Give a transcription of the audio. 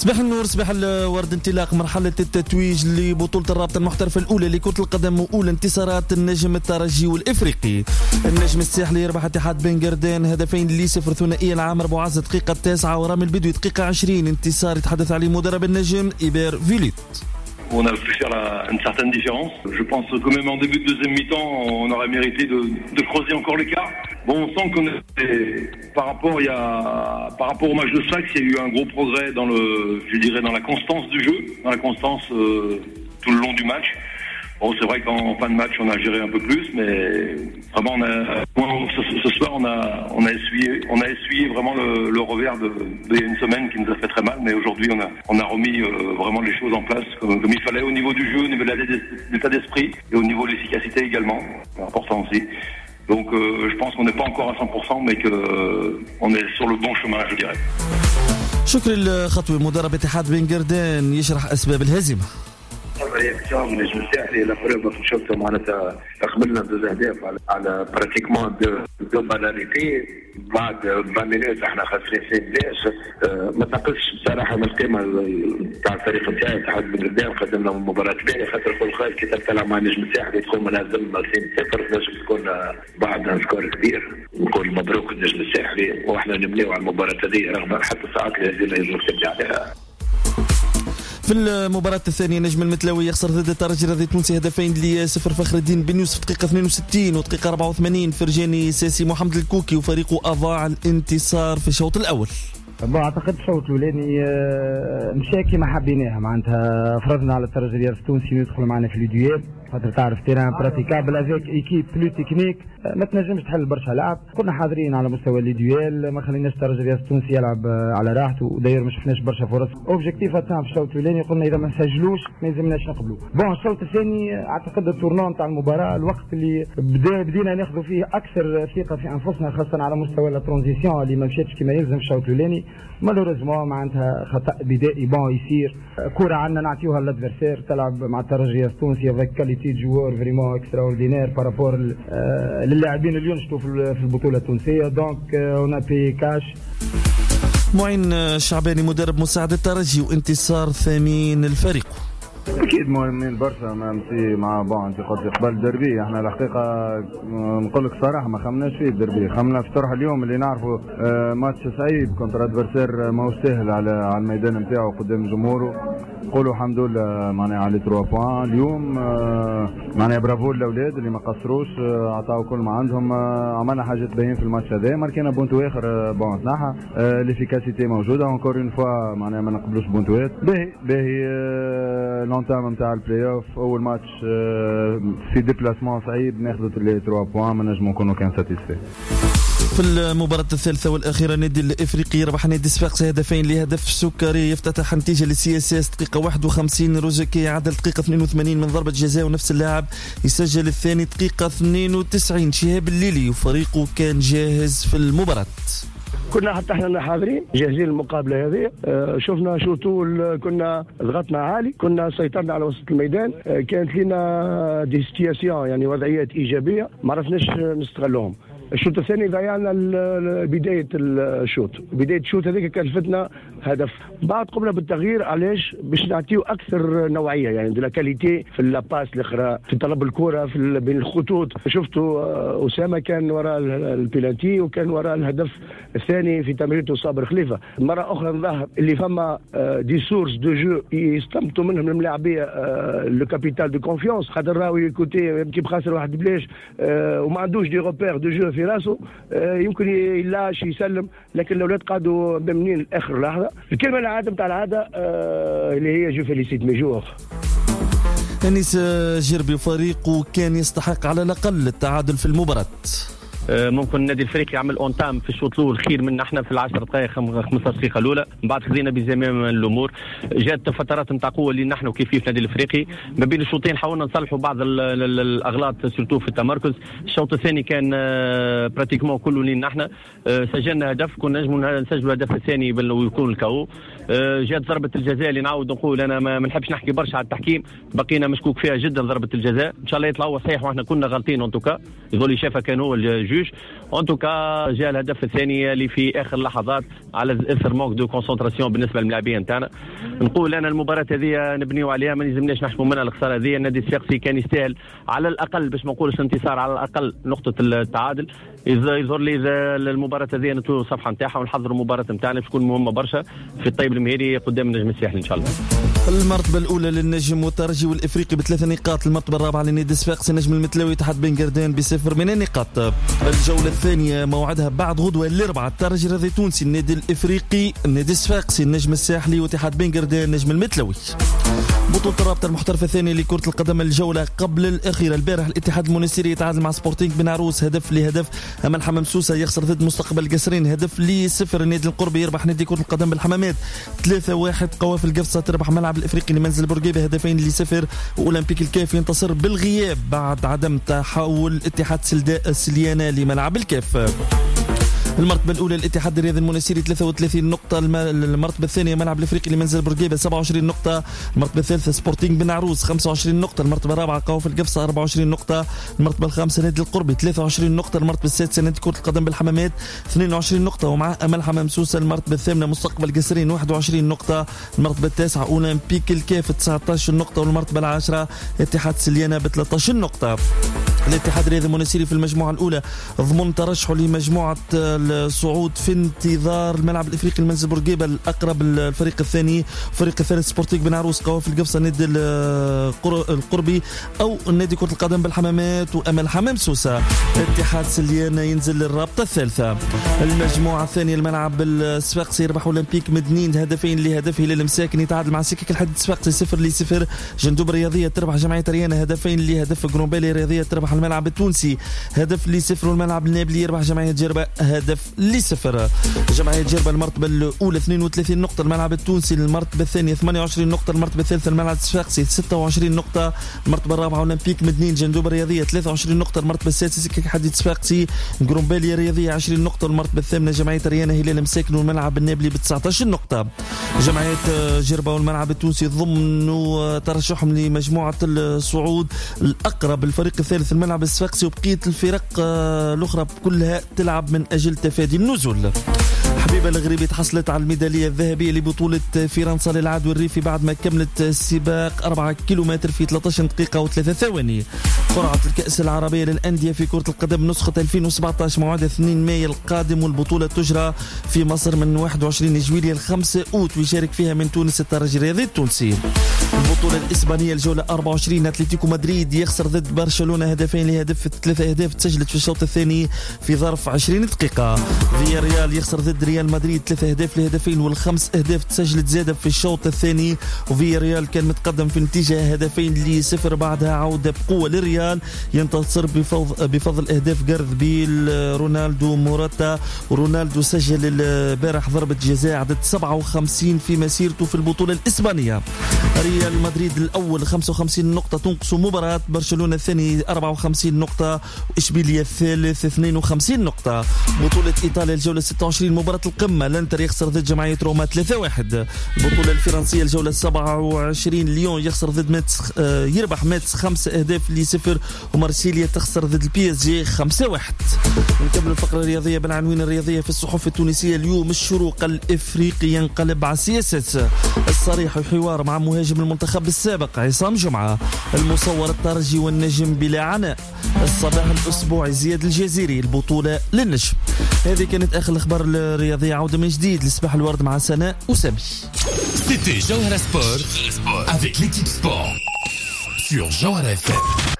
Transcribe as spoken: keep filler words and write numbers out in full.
صباح النور، صباح الورد. انطلاق مرحلة التتويج لبطولة الرابطة المحترفة الأولى لكرة القدم وأولى انتصارات النجم الترجي والإفريقي. النجم الساحلي يربح اتحاد بن قردان هدفين لصفر، ثنائية العامر بوعز دقيقة تسعة ورامي البدوي دقيقة عشرين. انتصار يتحدث عليه مدرب النجم إيبير فيليت. On a pu faire la, une certaine différence. Je pense que même en début de deuxième mi-temps, on aurait mérité de, de creuser encore l'écart. Bon, on sent qu'on est, par rapport, il y a, par rapport au match de Sfax, il y a eu un gros progrès dans le, je dirais, dans la constance du jeu, dans la constance euh, tout le long du match. Bon, c'est vrai qu'en fin de match, on a géré un peu plus, mais vraiment, on a, ce, ce soir, on a, on a essuyé, on a essuyé vraiment le, le revers de, de il y a une semaine qui nous a fait très mal, mais aujourd'hui, on a, on a remis euh, vraiment les choses en place comme, comme il fallait au niveau du jeu, au niveau de l'état d'esprit et au niveau de l'efficacité également, c'est important aussi. Donc, euh, je pense qu'on n'est pas encore à cent pour cent, mais que euh, on est sur le bon chemin, je dirais. شكري الخطوي مدرب اتحاد بن قردان يشرح أسباب الهزيمة. réaction من النجم الساحلي، la preuve شفتوا معناتها قبلنا زوج اهداف على على pratiquement deux deux balles arrêtées بعد vingt minutes، احنا خاسرين اثنين بلاش. ما تنقصش بصراحة من القيمة تاع الفريق نتاعي اتحاد بن قردان. قدمنا مباراة باهيه، خاطر كل خير كي تلعب مع النجم الساحلي تكون منهزم اثنين صفر تنجم تكون بعد score كبير. نقول مبروك النجم الساحلي، واحنا نبنيو على المباراة هذه رغم حتى الساعات اللي لازم نبني عليها. في المباراة الثانية نجم المتلوي يخسر ضد الترجي الرياضي التونسي هدفين لصفر. فخر الدين بن يوسف دقيقة اثنين وستين ودقيقة أربعة وثمانين فرجاني ساسي. محمد الكوكي وفريقه أضاع الانتصار في الشوط الأول. bon، اعتقد الشوط الاولاني آه، مشى كما حبيناها، معناتها فرضنا على الترجي الرياضي التونسي يدخل معنا في les duels، خاطر تعرف terrain impraticable avec équipe plus technique ما تنجمش تحل برشا لعب. كنا حاضرين على مستوى les duels، ما خليناش الترجي الرياضي التونسي يلعب على راحته، وداير ما شفناش برشا فرص. objectif atteint في الشوط الاولاني، قلنا اذا ما نسجلوش ما يلزمناش نقبلوا. bon، الشوط الثاني اعتقد ال tournant تاع المباراه، الوقت اللي بدا بدينا ناخذ فيه اكثر ثقة في انفسنا، خاصة على مستوى la transition اللي ما مشاتش كما يلزم في الشوط الاولاني. malheureusement معناتها خطا بدائي، bon، يصير كره عندنا نعطيوها l'adversaire. تلعب مع الترجي التونسي avec qualité joueurs vraiment extraordinaire par rapport للاعبين اللي ينشطوا في البطولة التونسيه، donc on a payé cash. معين الشعباني مدرب مساعد الترجي وانتصار ثمين الفريق. اكيد مهمين برشا، même si مع bon انت قلت قبل الدربي، احنا الحقيقة نقول لك صراحة ما خمناش فيه الدربي، خمنا في طرح اليوم اللي نعرفوا آه، ماتش صعيب contre adversaire ماهوش سهل على على الميدان نتاعو قدام جمهوره. نقولوا الحمد لله معناها على trois points اليوم، آه، معناها برافو للاولاد اللي ما قصروش، آه، عطاو كل ما عندهم. عملنا حاجات باهيين في الماتش هذا، ماركينا بونتو اخر، bon تنحى، l'efficacité موجودة encore une fois، معناها ما نقبلوش بونتوات. باهي باهي l'entame نتاع البلاي اوف، اول ماتش في déplacement صعيب ناخذوا les trois points، ما نجموا نكونوا كان satisfaits. في المباراة الثالثة والأخيرة النادي الإفريقي يربح نادي صفاقس هدفين لهدف. سكري يفتتح نتيجة لل CSS دقيقة واحد وخمسين، روزيكي عدل دقيقة اثنين وثمانين من ضربة جزاء، ونفس اللاعب يسجل الثاني دقيقة اثنين وتسعين. شهاب الليلي وفريقه كان جاهز في المباراة. كنا حتى احنا حاضرين جاهزين للمقابله هذه. آه، شفنا surtout كنا ضغطنا عالي، كنا سيطرنا على وسط الميدان، آه، كانت لنا des situations، يعني وضعيات ايجابية ما عرفناش نستغلوهم. الشوط الثاني ضيعنا بداية الشوط، بداية الشوط هذيك كلفتنا هدف. بعد قمنا بالتغيير، علاش؟ باش نعطيو اكثر نوعيه، يعني de la qualité في la passe الاخرى، في طلب الكره في بين الخطوط. شفتوا آه، اسامة كان وراء البيلانتي وكان وراء الهدف الثاني في تمريرته صابر خليفه. مرة اخرى نظهر اللي فما des sources de jeu يستنبطوا منهم الملاعبيه le capital de confiance، خاطر راهو écoutez يمكن بخاسر واحد بلاش آه، وما عندوش des repères de jeu في راسه، آه، يمكن يلاش يسلم، لكن الاولاد قعدوا مأمنين لاخر لحظه. الكلمة العادة نتاع العادة آه، اللي هي je félicite mes joueurs. أنيس جربي فريقه كان يستحق على الأقل التعادل في المباراة. آه، ممكن النادي الافريقي يعمل entame في الشوط الاول خير من احنا في العشر دقائق خمسطاش دقيقة الاولى. من بعد خذينا بزمام الامور، جات فترات نتاع قوة اللي نحن كيف كيف النادي الافريقي. ما بين الشوطين حاولنا نصلحوا بعض الاغلاط surtout في التمركز. الشوط الثاني كان pratiquement كله لين نحن، آه، سجلنا هدف، كنا نجموا نسجلوا الهدف الثاني ويكون ال K O. جات ضربه الجزاء اللي نعاود نقول انا ما نحبش نحكي برشا على التحكيم، بقينا مشكوك فيها جدا ضربه الجزاء، ان شاء الله يطلع هو صحيح واحنا كنا غالطين. en tout cas يظل شافها كان هو ال juge. en tout cas جاء الهدف الثاني اللي في اخر اللحظات على اثر manque de concentration بالنسبة للاعبين نتاعنا. نقول انا المباراة هذه نبنيو عليها، ما لازمناش نحشموا منها الخسارة هذه. النادي الصفاقسي كان يستاهل على الاقل، باش ما نقولش انتصار، على الاقل نقطة التعادل. يظهر لي المباراة هذه نطوي الصفحة نتاعها ونحضروا المباراة نتاعنا باش تكون مهمة برشا في الطيب المهيري قدام النجم الساحلي ان شاء الله. المرتبة الاولى للنجم والترجي والافريقي بثلاث نقاط، المرتبة الرابعة للنادي الصفاقسي، النجم المتلوي تحت بن قردان بصفر من النقاط. الجولة الثانية موعدها بعد غدوه الاربعاء، الترجي الرياضي التونسي، النادي الافريقي، النادي الصفاقسي، النجم الساحلي، واتحاد بن قردان، النجم المتلوي. بطولة الرابطة المحترفة الثانية لكرة القدم الجولة قبل الأخيرة، البارح الاتحاد المونستيري يتعادل مع سبورتينغ بن عروس هدف لهدف، أما الحمام سوسة يخسر ضد مستقبل قصرين هدف لصفر، النادي القربي يربح نادي كرة القدم بالحمامات ثلاثة واحد، قوافل قفصة تربح ملعب الإفريقي لمنزل بورقيبة هدفين لصفر، وأولمبيك الكاف ينتصر بالغياب بعد عدم تحول اتحاد سليانة لملعب الكاف. المرتبة الأولى الاتحاد الرياضي المونستيري ثلاثة وثلاثين نقطة، المرتبة الثانية ملعب الإفريقي لمنزل بورقيبة سبعة وعشرين نقطة، المرتبة الثالثة سبورتينغ بن عروس خمسة وعشرين نقطة، المرتبة الرابعة قوافل القفصة أربعة وعشرين نقطة، المرتبة الخامسة نادي القربي ثلاثة وعشرين نقطة، المرتبة السادسة نادي كرة القدم بالحمامات اثنين وعشرين نقطة، ومع أمل حمام سوسة المرتبة الثامنة مستقبل قصرين واحد وعشرين نقطة، المرتبة التاسعة أولمبيك الكاف تسعة عشر نقطة، والمرتبة العاشرة اتحاد سليانة ب ثلاثة عشر نقطة. الاتحاد الرياضي المونستيري في المجموعة الأولى ضمن ترشحه لمجموعة الصعود في انتظار الملعب الافريقي المنزل بورقيبة الاقرب، الفريق الثاني، الفريق الثالث سبورتيك بن عروس، قوافل القفصه، النادي القربي او نادي كره القدم بالحمامات، وامل حمام سوسة. اتحاد سليانه ينزل للرابطة الثالثة. المجموعة الثانية الملعب الصفاقسي يربح اولمبيك مدنين هدفين لهدف، هلال المساكن يتعادل مع سكك الحديد الصفاقسي صفر لصفر، جندوب الرياضية تربح جمعية ريانه هدفين لهدف، قرنبالي الرياضية تربح الملعب التونسي هدف لصفر، والملعب النابلي يربح جمعية جربه هدف لصفر. جمعية جربة المرتبة الأولى اثنين وثلاثين نقطة، الملعب التونسي المرتبة الثانية ثمانية وعشرين نقطة، المرتبة الثالثة الملعب الصفاقسي ستة وعشرين نقطة، المرتبة الرابعة أولمبيك مدنين جندوب الرياضية ثلاثة وعشرين نقطة، المرتبة السادسة سكك حديد صفاقسي قرنبالي الرياضية عشرين نقطة، المرتبة الثامنة جمعية ريانة هلال مساكن والملعب النابلي ب تسعة عشر نقطة. جمعية جربة والملعب التونسي ضمنوا ترشحهم لمجموعة الصعود الأقرب، الفريق الثالث الملعب الصفاقسي، وبقية الفرق الأخرى كلها تلعب من أجل تفادي النزول. حبيبة الغريبي تحصلت على الميدالية الذهبية لبطولة فرنسا للعدو الريفي بعد ما كملت السباق أربعة كيلومتر في ثلاثة عشر دقيقة وثلاثة ثواني. قرعة الكأس العربية للأندية في كرة القدم نسخة ألفين وسبعة عشر موعدها اثنين مايو القادم، والبطولة تجرى في مصر من واحد وعشرين جويلية ل خمسة أوت، ويشارك فيها من تونس الترجي الرياضي التونسي. البطولة الإسبانية الجولة أربعة وعشرين، أتلتيكو مدريد يخسر ضد برشلونة هدفين لهدف، ثلاثة أهداف تسجلت في الشوط الثاني في ظرف عشرين دقيقة. فيا ريال يخسر ضد ريال مدريد ثلاثة أهداف لهدفين، والخمس أهداف تسجلت زادة في الشوط الثاني، وفيا ريال كان متقدم في النتيجة هدفين لصفر، بعدها عودة بقوة للريال ينتصر بفضل, بفضل أهداف جارث بيل، رونالدو، موراتا. ورونالدو سجل البارح ضربة جزاء عدد سبعة وخمسين في مسيرته في البطولة الإسبانية. ريال مدريد الأول خمسة وخمسين نقطة تنقص مباراة، برشلونة الثاني أربعة وخمسين نقطة، وإشبيلية الثالث اثنين وخمسين نقطة. بطولة إيطاليا الجولة ستة وعشرين مباراة القمة، الانتر يخسر ضد جمعية روما ثلاثة واحد. البطولة الفرنسية الجولة سبعة وعشرين، ليون يخسر ضد ماتس، يربح ماتس خمسة أهداف لصفر، ومارسيليا تخسر ضد البي اس جي خمسة واحد. نكمل الفقرة الرياضية بالعناوين الرياضية في الصحف التونسية اليوم. الشروق الإفريقي ينقلب على سياسة الصريح وحوار مع مهاجم المنتخب السابق عصام جمعة. المصور الترجي والنجم بلا عناء. الصباح الأسبوعي زياد الجزيري البطولة للنجم. هذه كانت آخر الأخبار الرياضية. عودة من جديد لصباح الورد مع سناء وسامي. C'était Jawhara Sport avec l'équipe Sport sur Jawhara إف إم.